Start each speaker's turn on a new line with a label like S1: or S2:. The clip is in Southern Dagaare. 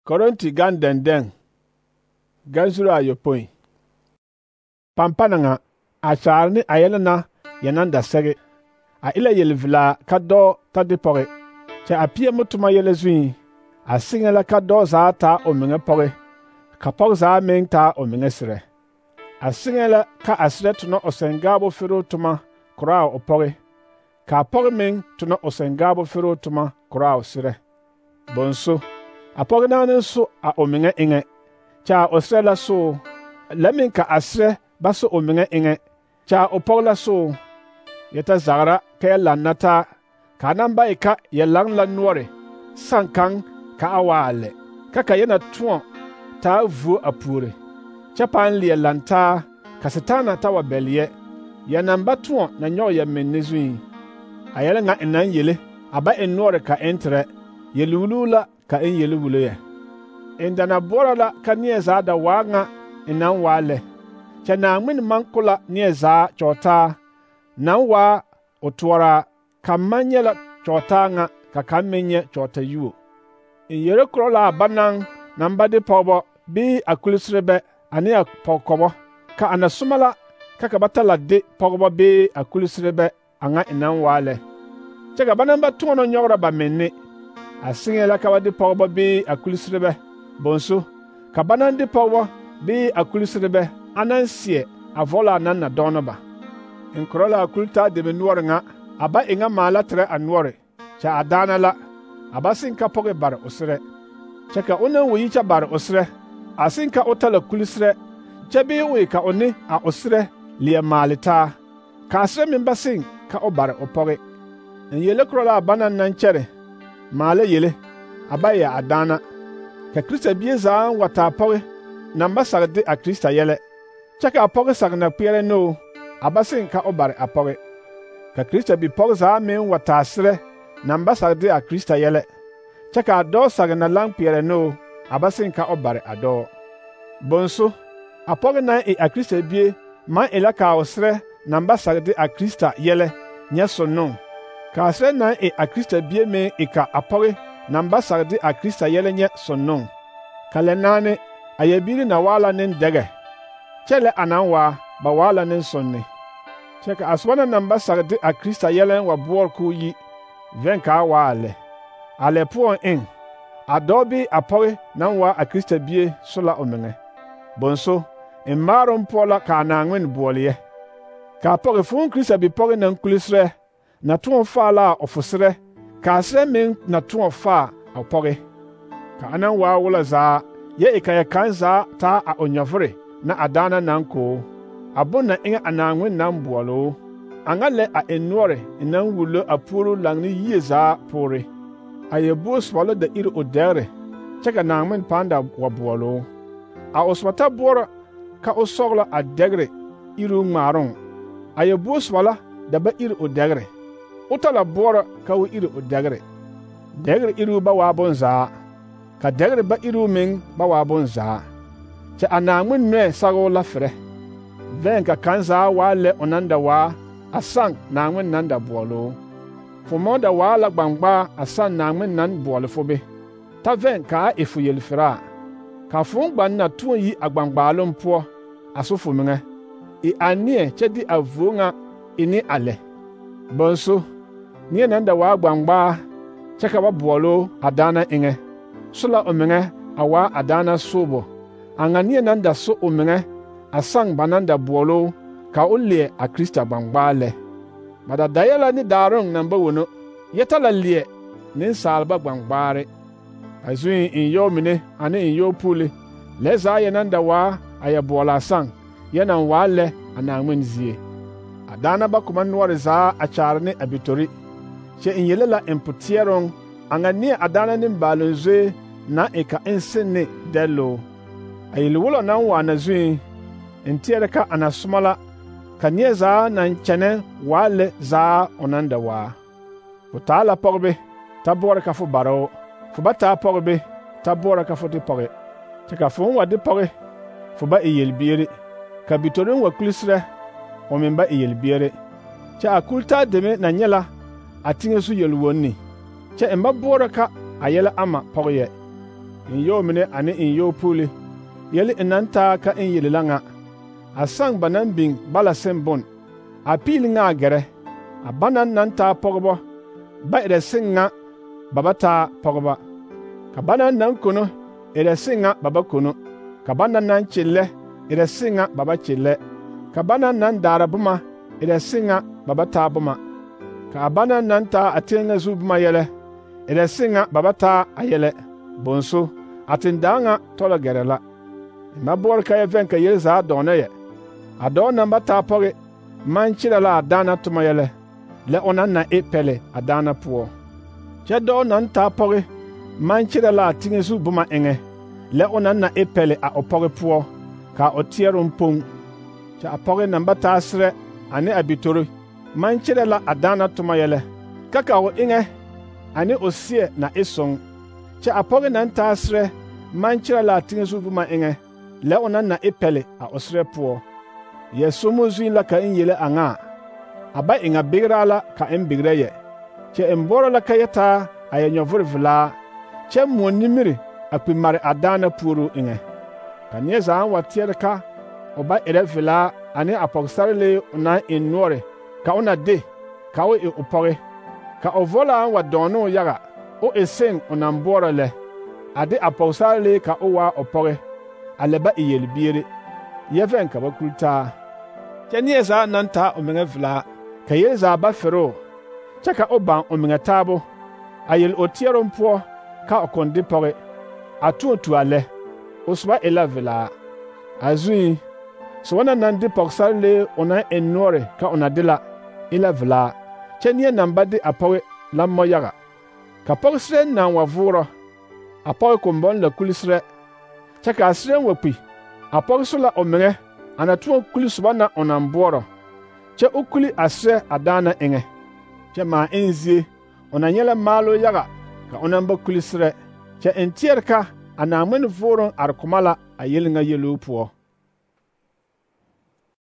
S1: Korinti gan denden gan zuru ayopoi pampana nga a saarni a yɛlena yanan da sɛge a ila yelvila ka dɔ ta de pɔge kyɛ a pie mutuma yɛlɛ zui a siŋa la ka dɔ zaa taa o meŋa pɔge ka pɔge zaa meŋ taa o meŋa serɛ a siŋa la ka a serɛ tona o sɛngaabo feroo toma koraa o pɔge ka a pɔge meŋ tona o sɛngaabo feroo toma koraa o serɛ bonso a pɔge naane so a o meŋa eŋɛ kyɛ a o serɛ la so la meŋ ka a serɛ ba so o meŋa eŋɛ kyɛ a o pɔge la so yɛ ta zagra ka yɛ lanna taa ka a naŋ ba e ka yɛ laŋ la noɔre saŋ kaŋ ka a waa a lɛ ka yɛ na tõɔ taa vuo a puore kyɛ pãã leɛ lantaa ka Setaana ta wa bɛle yɛ naŋ ba tõɔ na nyɔge yɛ menne zui a yɛlɛ ŋa en naŋ yele a ba en noɔre ka en terɛ yelwuluu la ka en yelwulo yɛ en da na boɔrɔ la ka neɛ zaa da waa ŋa en naŋ waa lɛ kyɛ Naŋmen maŋ ko la neɛ zaa kyɔɔtaa naŋ waa o toɔraa ka maŋ nyɛ la kyɔɔtaa ŋa ka kaŋ meŋ nyɛ kyɔɔtayuo en yere korɔ la a banaŋ naŋ ba de pɔgebɔ bii a kuliserebɛ ane a pɔgekɔbɔ ka a na soma la ka ba ta la de pɔgebɔ bii a kuliserebɛ a ŋa en naŋ waa lɛ kyɛ ka ba naŋ ba tõɔnɔ nyɔgrɔ ba menne a siŋe la ka ba de pɔgebɔ bii a kuliserebɛ bonso ka ba naŋ de pɔgebɔ bii a kuliserebɛ a naŋ seɛ a vɔla a naŋ na dɔɔnɔ ba en korɔ la a kultaa deme noɔre ŋa a ba e ŋa maala terɛ a noɔre kyɛ a daana la a ba seŋ ka pɔge bare o serɛ kyɛ ka o naŋ wa yi kyɛ bare o serɛ a seŋ ka o ta la kuliserɛ kyɛ bii o e ka o ne a o serɛ leɛ maale taa ka a serɛ meŋ ba seŋ ka o bare o pɔge en yele korɔ la a banaŋ naŋ kyɛre maala yele a ba e a daana ka Krista bie zaa wa taa pɔge naŋ ba sag de a Krista yɛlɛ kyɛ ka a pɔge sag na kpeɛrɛ noo a ba seŋ ka o bare a pɔge ka Krista bipɔge zaa meŋ wa taa serɛ naŋ ba sag de a Krista yɛlɛ kyɛ ka a dɔɔ sag na laŋ kpeɛrɛ noo a ba seŋ ka o bare a dɔɔ bonso a pɔge naŋ e a Krista bie maŋ e la ka o serɛ naŋ ba sag de a Krista yɛlɛ nyɛ sonnoŋ ka a serɛ naŋ e a Krista bie meŋ e ka a pɔge naŋ ba sag de a Krista yɛlɛ nyɛ sonnoŋ ka lɛ naane a yɛbiiri na waa la nendɛgɛ kyɛ lɛ a naŋ waa ba waa la nensonne kyɛ ka a soba na naŋ ba sag de a Krista yɛlɛ wa boɔre k'o yi vɛn ka a waa a lɛ a lɛ poɔŋ eŋ a dɔɔ bii a pɔge naŋ waa a Krista bie so la o meŋɛ bonso en maaroŋ poɔ la ka a Naŋmen boɔle yɛ ka a pɔge fõõ Krista bipɔge naŋ kuliserɛ na tõɔ faa la o fo serɛ ka a serɛ meŋ na tõɔ faa a pɔge ka a naŋ waa wolɔ zaa yɛ e ka yɛ kaŋ zaa taa a o nyɔvere na a daana naŋ koo a bon na eŋɛ a Naŋmen naŋ boɔloo a ŋa lɛ a en noɔre en naŋ wullo a puoro laŋ ne yie zaa poore a yɛ buo soba da iri o dɛgre kyɛ ka Naŋmen pãã da wa boɔloo a o soba ta boɔrɔ ka o sɔglɔ a dɛgre iruu ŋmaaroŋ a yɛ buo soba da ba iri o dɛgre o ta la boɔrɔ ka o iri o dɛgre dɛgre iruu ba waa bonzaa ka dɛgre ba iruu meŋ ba waa bonzaa kyɛ a Naŋmen nɔɛ sagoo la ferɛ vɛn ka kaŋ zaa waa lɛ o naŋ da waa a saŋ Naŋmen naŋ da boɔloo fo mɔɔ da waa la gbaŋgbaa a saŋ Naŋmen naŋ boɔle fo be ta vɛn ka a e fo yelferaa ka fo gbaŋ na tõɔ yi a gbaŋgbaaloŋ poɔ a so fo meŋɛ e a neɛ kyɛ de a vuo ŋa e ne a lɛ bonso neɛ naŋ da waa gbaŋgbaa kyɛ ka ba boɔloo a daana eŋɛ so la o meŋɛ a waa a daana soobo a ŋa neɛ naŋ da so o meŋɛ a saŋ ba naŋ da boɔloo ka o leɛ a Krista gbaŋgbaa lɛ ba da dayɛ la ne daaroŋ naŋ ba wono yɛ ta la leɛ nensaalba gbaŋgbaare a zuŋ en yɔɔ mine ane en yɔɔ puule lɛ zaa yɛ naŋ da waa a yɛ boɔla a saŋ yɛ naŋ waa lɛ a Naŋmen zie a daana ba koma noɔre zaa a kyaare ne a bitori kyɛ en yele la en poteɛroŋ a ŋa neɛ a daana nembaaloŋ zoe naŋ e ka en seŋ ne dɛlloo a yelwolɔ naŋ waa na zuŋ en teɛrɛ ka a na soma la ka neɛ zaa naŋ kyɛnɛ waa lɛ zaa o naŋ da waa fo taa la pɔgebe ta boɔrɔ ka fo bare o fo ba taa pɔgebe ta boɔrɔ ka fo de pɔge kyɛ ka fo wa de pɔge fo ba e yelbiere ka bitoreŋ wa kuliserɛ o meŋ ba e yelbiere kyɛ a kultaa deme na nyɛ la a teŋɛ so yelwonni kyɛ en ba boɔrɔ ka a yɛlɛ ama pɔge yɛ in yɔɔ mine ane in yɔɔ puuli yɛle in naŋ taa ka in yele la ŋa a saŋ ba naŋ biŋ bala seŋ bon a piili ŋa a gɛrɛ a banaŋ naŋ taa pɔgebɔ ba erɛ seŋ ŋa ba ba taa pɔgeba ka banaŋ naŋ kono erɛ seŋ ŋa ba ba kono ka banaŋ naŋ kyellɛ erɛ seŋ ŋa ba ba kyellɛ ka banaŋ naŋ daara boma erɛ seŋ ŋa ba ba taa boma ka a banaŋ naŋ taa a teŋɛ zu boma yɛlɛ erɛ seŋ ŋa ba ba taa a yɛlɛ bonso a tendaa ŋa tɔlɔ gɛrɛ la ma boɔre ka yɛ vɛŋ ka yel zaa dɔɔnɔ yɛ a dɔɔ naŋ ba taa pɔge maŋ kyerɛ la a daana toma yɛlɛ lɛ o naŋ na e pɛle a daana poɔ kyɛ dɔɔ naŋ taa pɔge maŋ kyerɛ la a teŋɛ zu boma eŋɛ lɛ o naŋ na e pɛle a o pɔge poɔ ka o teɛroŋ poŋ kyɛ a pɔge naŋ ba taa serɛ ane a bitore maŋ kyerɛ la a daana toma yɛlɛ ka ka o eŋɛ ane o seɛ na e soŋ kyɛ a pɔge naŋ taa serɛ maŋ kyerɛ la a teŋɛ zu boma eŋɛ lɛ o naŋ na e pɛle a o serɛ poɔ yɛ somo zuŋ la ka in yele a ŋa a ba e ŋa bigraa la ka in bigrɛ yɛ kyɛ in boɔrɔ la ka yɛ taa a yɛ nyɔvore velaa kyɛ moɔ nimiri a kpi mare a daana puoruu eŋɛ ka neɛ zaa wa teɛre ka o ba erɛ velaa ane a pɔgesarelee o naŋ eŋ noɔre ka o na de ka o e o pɔge ka o vɔlaa wa dɔɔne o yaga o e seŋ o naŋ boɔrɔ lɛ a de a pɔgesarelee ka o waa o pɔge a lɛ ba e yelbiere yɛ vɛŋ ka ba kuli taa kyɛ neɛ zaa naŋ taa o meŋɛ velaa ka yel zaa ba feroo kyɛ ka o baŋ o meŋɛ taabo a yel o teɛroŋ poɔ ka o kõn de pɔge a tõɔ tu a lɛ o soba e la velaa a zuŋ soba na naŋ de pɔgesarelee o naŋ eŋ noɔre ka o na de la e la velaa kyɛ neɛ naŋ ba de a pɔge la mɔ yaga ka pɔgeserɛ naŋ wa voorɔ a pɔge kombɔŋ la kuli serɛ kyɛ ka a serɛ wa kpi a pɔge so la o meŋɛ a na tõɔ kuli soba na o naŋ boɔrɔ kyɛ o kuli a serɛ a daana eŋɛ kyɛ maa eŋ zie o na nyɛ la maaloo yaga ka o naŋ ba kuli serɛ kyɛ en teɛre ka a Naaŋmen vooroŋ are koma la a yel ŋa yeluu poɔ.